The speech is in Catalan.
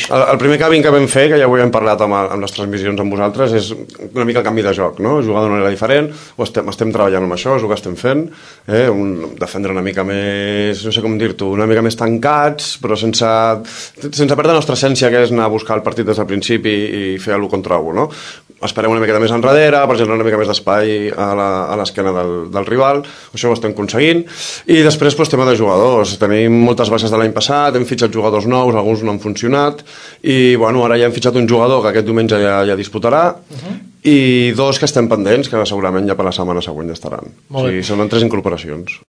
El primer canvi que vam fer, que ja ho hem parlat amb les transmissions amb vosaltres, és una mica el canvi de joc, no? Jugar d'una manera diferent, estem treballant amb això, és el que estem fent, defendre una mica més, no sé com dir-t'ho, una mica més tancats, però sense perdre la nostra essència, que és anar a buscar el partit des del principi i fer l'1 contra 1, no? Esperem una miqueta més enrere, per generar una mica més d'espai a l'esquena del rival, això ho estem aconseguint, i després tema de jugadors, tenim moltes baixes de l'any passat, hem fitxat jugadors nous, alguns no han funcionat, i bueno, ara ja hem fitxat un jugador que aquest diumenge ja disputarà, i 2 que estem pendents, que segurament ja per la setmana següent ja estaran. O sigui, són 3 incorporacions.